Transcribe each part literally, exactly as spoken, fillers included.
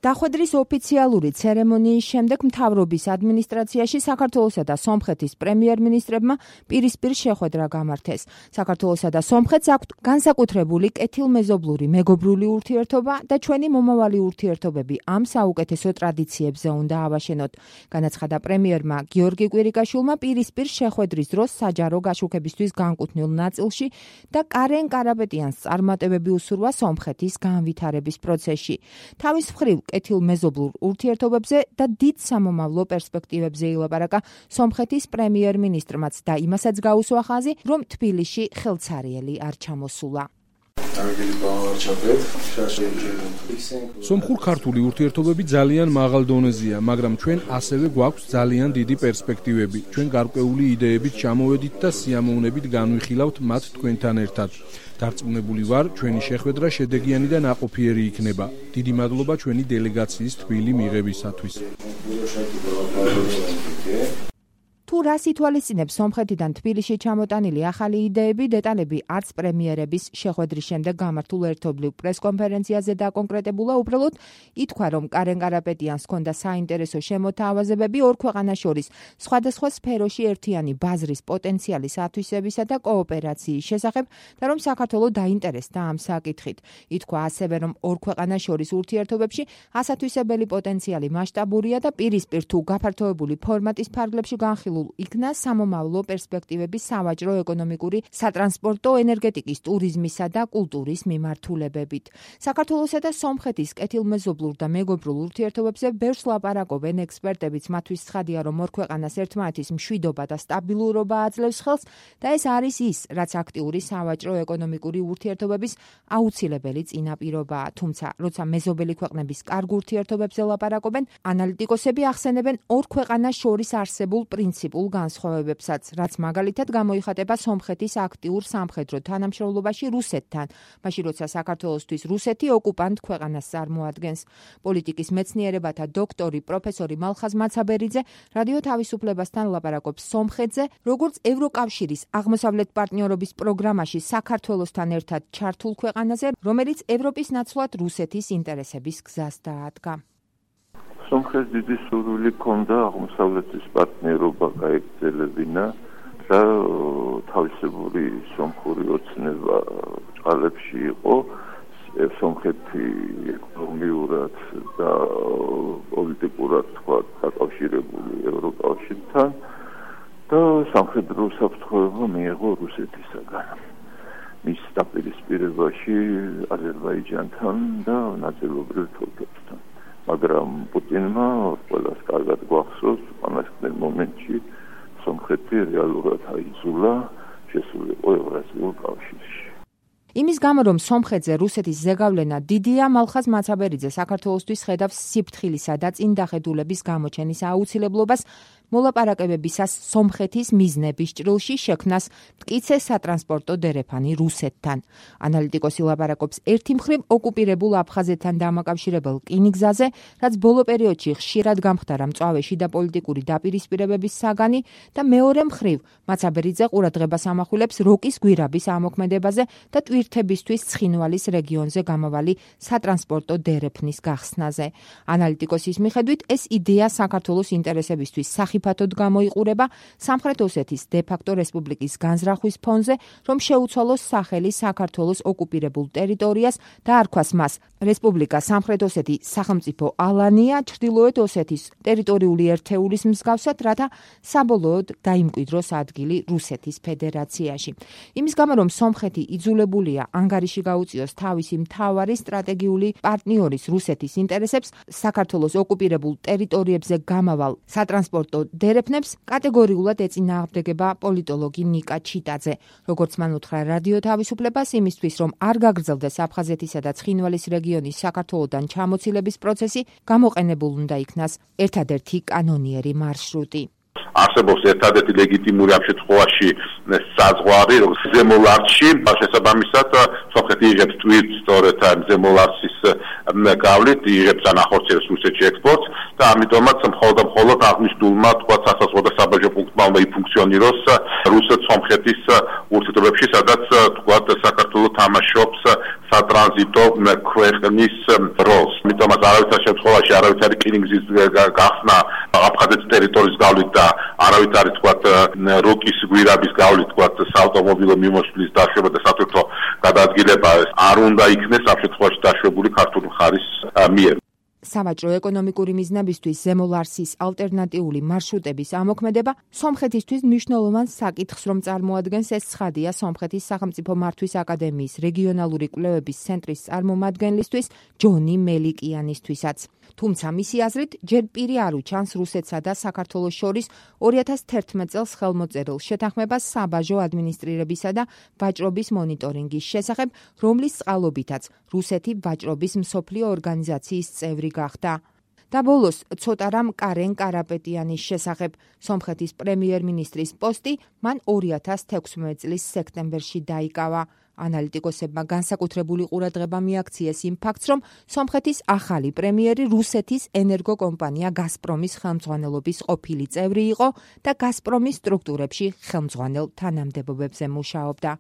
დახვედრის ოფიციალური ცერემონიის შემდეგ მთავრობის ადმინისტრაციაში საქართველოსა და სომხეთის პრემიერ-მინისტრებმა პირისპირ შეხვედრა გამართეს. საქართველოსა და სომხეთს აქვთ განსაკუთრებული კეთილმეზობლური მეგობრული ურთიერთობა და ჩვენი მომავალი ურთიერთობები ამ საუკეთესო ტრადიციებზე უნდა ავაშენოთ. განაცხადა პრემიერმა გიორგი კვირიკაშვილმა პირისპირ შეხვედრის დროს საჯარო გაშუქებისთვის განკუთვნილ ნაწილში და კარენ კარაპეტიანს წარმატებები უსურვა სომხეთის განვითარების პროცესში. თავის მხრივ კეთილმეზობლურ ურთიერთობებზე და დიდ სამომავლო პერსპექტივებზე ილაპარაკა სომხეთის პრემიერ-მინისტრმაც და იმასაც გაუსვა ხაზი, რომ თბილისში ხელცარიელი არ ჩამოსულა. სომხურ-ქართული ურთიერთობები ძალიან მაღალ დონეზეა, მაგრამ ჩვენ ასევე გვაქვს ძალიან დიდი პერსპექტივები. ჩვენ გარკვეული იდეებით ჩამოვედით და სიამოვნებით განვიხილავთ მათ თქვენთან ერთად. დარწმუნებული ვარ, ჩვენი შეხვედრა შედეგიანი და ნაყოფიერი იქნება. დიდი მადლობა ჩვენი დელეგაციის თბილი მიღებისათვის. თუ რას ითვალისწინებს სომხეთიდან თბილისში ჩამოტანილი ახალი იდეები, დეტალები არც პრემიერების შეხვედრის შემდეგ გამართულ ერთობლივ პრესკონფერენციაზე დაკონკრეტებულა, უბრალოდ ითქვა, რომ კარენ კარაპეტიანს ჰქონდა საინტერესო შემოთავაზებები ორ ქვეყანას შორის სხვადასხვა სფეროში ერთიანი ბაზრის პოტენციალის ათვისებისა და კოოპერაციის შესახებ და რომ საქართველო დაინტერესდა ამ საკითხით. ითქვა ასევე, რომ ორ ქვეყანას შორის ურთიერთობებში ასათვისებელი პოტენციალი მასშტაბურია და პირისპირ თუ გაფართოებული ფორმატის ფარგლებში განხილულ იქნა სამომავლო პერსპექტივების სავაჭრო, ეკონომიკური, სატრანსპორტო, ენერგეტიკის, ტურიზმისა და კულტურის მიმართულებებით. საქართველოსა და სომხეთის კეთილმეზობლურ და მეგობრულ ურთიერთობებზე ბევრს ლაპარაკობენ ექსპერტებიც, მათთვის ცხადია, რომ ორ ქვეყანას ერთმანეთის მშვიდობა და სტაბილურობა აძლევს ხელს და ეს არის ის, რაც აქტიური სავაჭრო, ეკონომიკური ურთიერთობების აუცილებელი წინაპირობაა. თუმცა, როცა მეზობელი ქვეყნების კარგ ურთიერთობებზე ლაპარაკობენ, ანალიტიკოსები ახსენებენ ორ ქვეყანას შორის არსებულ პრინციპს განსხვავებებსაც, რაც მაგალითად გამოიხატება სომხეთის აქტიურ სამხედრო თანამშრომლობაში რუსეთთან, მაშინ როცა საქართველოსთვის რუსეთი ოკუპანტ ქვეყანას წარმოადგენს. პოლიტიკის მეცნიერებათა დოქტორი პროფესორი მალხაზ მაცაბერიძე რადიო თავისუფლებასთან ლაპარაკობს სომხეთზე, როგორც ევროკავშირის აღმოსავლეთ პარტნიორობის პროგრამაში საქართველოსთან ერთად ჩართულ ქვეყანაზე, რომელიც ევროპის ნაცვლად რუსეთის ინტერესების გზას დაადგა. სომხეთს დიდი სურვილი ჰქონდა აღმოსავლეთის პარტნიორობა გაეგრძელებინა და თავისებური სომხური ოცნება წყალებში იყო. სომხეთი ეკონომიურად და პოლიტიკურად თქვა დაკავშირებული ევროკავშირთან და სამხედრო საფრთხეობა მიიღო რუსეთისაგან. მის დაპირისპირებაში აზერბაიჯანთან და ნაწილობრივ თურქეთთან. მაგრამ პუტინმა ყველას კარგად გვახსოვს, ამასთან მომენტში სომხეთი რეალურად აიძულა შესულიყო ევრაზიულ კავშირში. იმის გამო, რომ სომხეთზე რუსეთის ზეგავლენა დიდია, მალხაზ მაცაბერიძე საქართველოსთვის ხედავს სიფრთხილისა და წინდახედულების გამოჩენის აუცილებლობას, მოლაპარაკებებისას სომხეთის მიზნების ჭრილში შექმნას მტკიცე სატრანსპორტო დერეფანი რუსეთთან. ანალიტიკოსი ლაპარაკობს ერთი მხრივ ოკუპირებულ აფხაზეთთან დამაკავშირებელ რკინიგზაზე, რაც ბოლო პერიოდში ხშირად გამხდარა მწვავეში და პოლიტიკური დაპირისპირებების საგანი და მეორე მხრივ მაცაბერიძე ყურადღებას ამახვილებს როკის გვირაბის ამოქმედებაზე და ტვირთებისთვის ცხინვალის რეგიონზე გამავალი სატრანსპორტო დერეფნის გახსნაზე. ანალიტიკოსის მიხედვით ეს იდეა საქართველოს ინტერესებისთვის ფათოდ გამოიყურება სამხრეთ ოსეთის დე-ფაქტო რესპუბლიკის განზრახვის ფონზე, რომ შეუცვალოს სახელი საქართველოს ოკუპირებულ ტერიტორიას და არქვას მას რესპუბლიკა სამხრეთ ოსეთი სახელმწიფო ალანია ჩრდილოეთ ოსეთის ტერიტორიული ერთეულის მსგავსად, რათა საბოლოოდ დაიმკვიდროს ადგილი რუსეთის ფედერაციაში. იმის გამო, რომ სომხეთი იძულებულია ანგარიში გაუწიოს თავისი მთავარი სტრატეგიული პარტნიორის რუსეთის ინტერესებს, საქართველოს ოკუპირებულ ტერიტორიებზე გამავალ სატრანსპორტო დერეფნებს კატეგორიულად ეწინააღმდეგება პოლიტოლოგი ნიკა ჩიტაძე. როგორც მან უთხრა რადიო თავისუფლებას, იმისთვის, რომ არ გაგრძელდეს აფხაზეთისა და ცხინვალის რეგიონის საქართველოდან ჩამოცილების პროცესი, გამოყენებულ უნდა იქნას ერთადერთი კანონიერი მარშრუტი. არსებობს ერთადერთი ლეგიტიმური ამ შემთხვევაში საზღვარი, როგორც ზემოლარჩი, შესაბამისად სომხეთი იღებს ტვირთს სწორედ ამ ზემოლარჩის გავლით, იღებს ანახორციელებს რუსეთში ექსპორტს და ამიტომაც მხოლოდ და მხოლოდ აღნიშნულმა თქვა სასაზღვრო საბაჟო პუნქტმა უნდა იფუნქციონიროს რუსეთ-სომხეთის ურთიერთობებში, სადაც თქვა საქართველოს თამაშობს სატრანზიტო ქვეყნის როლს. ამიტომაც არავითარ შემთხვევაში არავითარი რკინიგზის გახსნა აფხაზეთის ტერიტორიის გავლით და არავითარი თქვათ როკის გვირაბის გავლით თქვათ საავტომობილო მიმოსვლის დაშვება და სათვირთო გადაადგილება არ უნდა იქნეს ამ შემთხვევაში დაშვებული ქართული მხარის მიერ. სავაჭრო ეკონომიკური მიზნებისთვის ზემო ლარსის ალტერნატიული მარშრუტების ამოქმედება სომხეთისთვის მნიშვნელოვან საკითხს რომ წარმოადგენს. ეს ცხადია სომხეთის სახელმწიფო მართვის აკადემიის რეგიონალური კვლევების ცენტრის წარმომადგენლისთვის ჯონი მელიკიანისთვისაც. თუმცა მისი აზრით ჯერ პირი არ უჩანს რუსეთსა და საქართველოს შორის ორი ათას თერთმეტ წელს ხელმოწერილ შეთანხმებას საბაჟო ადმინისტრირებისა და ვაჭრობის მონიტორინგის შესახებ, რომლის წყალობითაც რუსეთი ვაჭრობის მსოფლიო ორგანიზაციის წევრი გახდა. და ბოლოს ცოტა რამ კარენ კარაპეტიანის შესახებ. სომხეთის პრემიერ-მინისტრის პოსტი მან ორი ათას თექვსმეტ წლის სექტემბერში დაიკავა. ანალიტიკოსებმა განსაკუთრებული ყურადღება მიაქციეს იმ ფაქტს, რომ სომხეთის ახალი პრემიერი რუსეთის ენერგოკომპანია გაზპრომის ხელმძღვანელობის ყოფილი წევრი იყო და გაზპრომის სტრუქტურებში ხელმძღვანელ თანამდებობებზე მუშაობდა.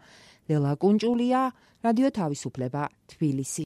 ლელა კუნჭულია, რადიო თავისუფლება, თბილისი.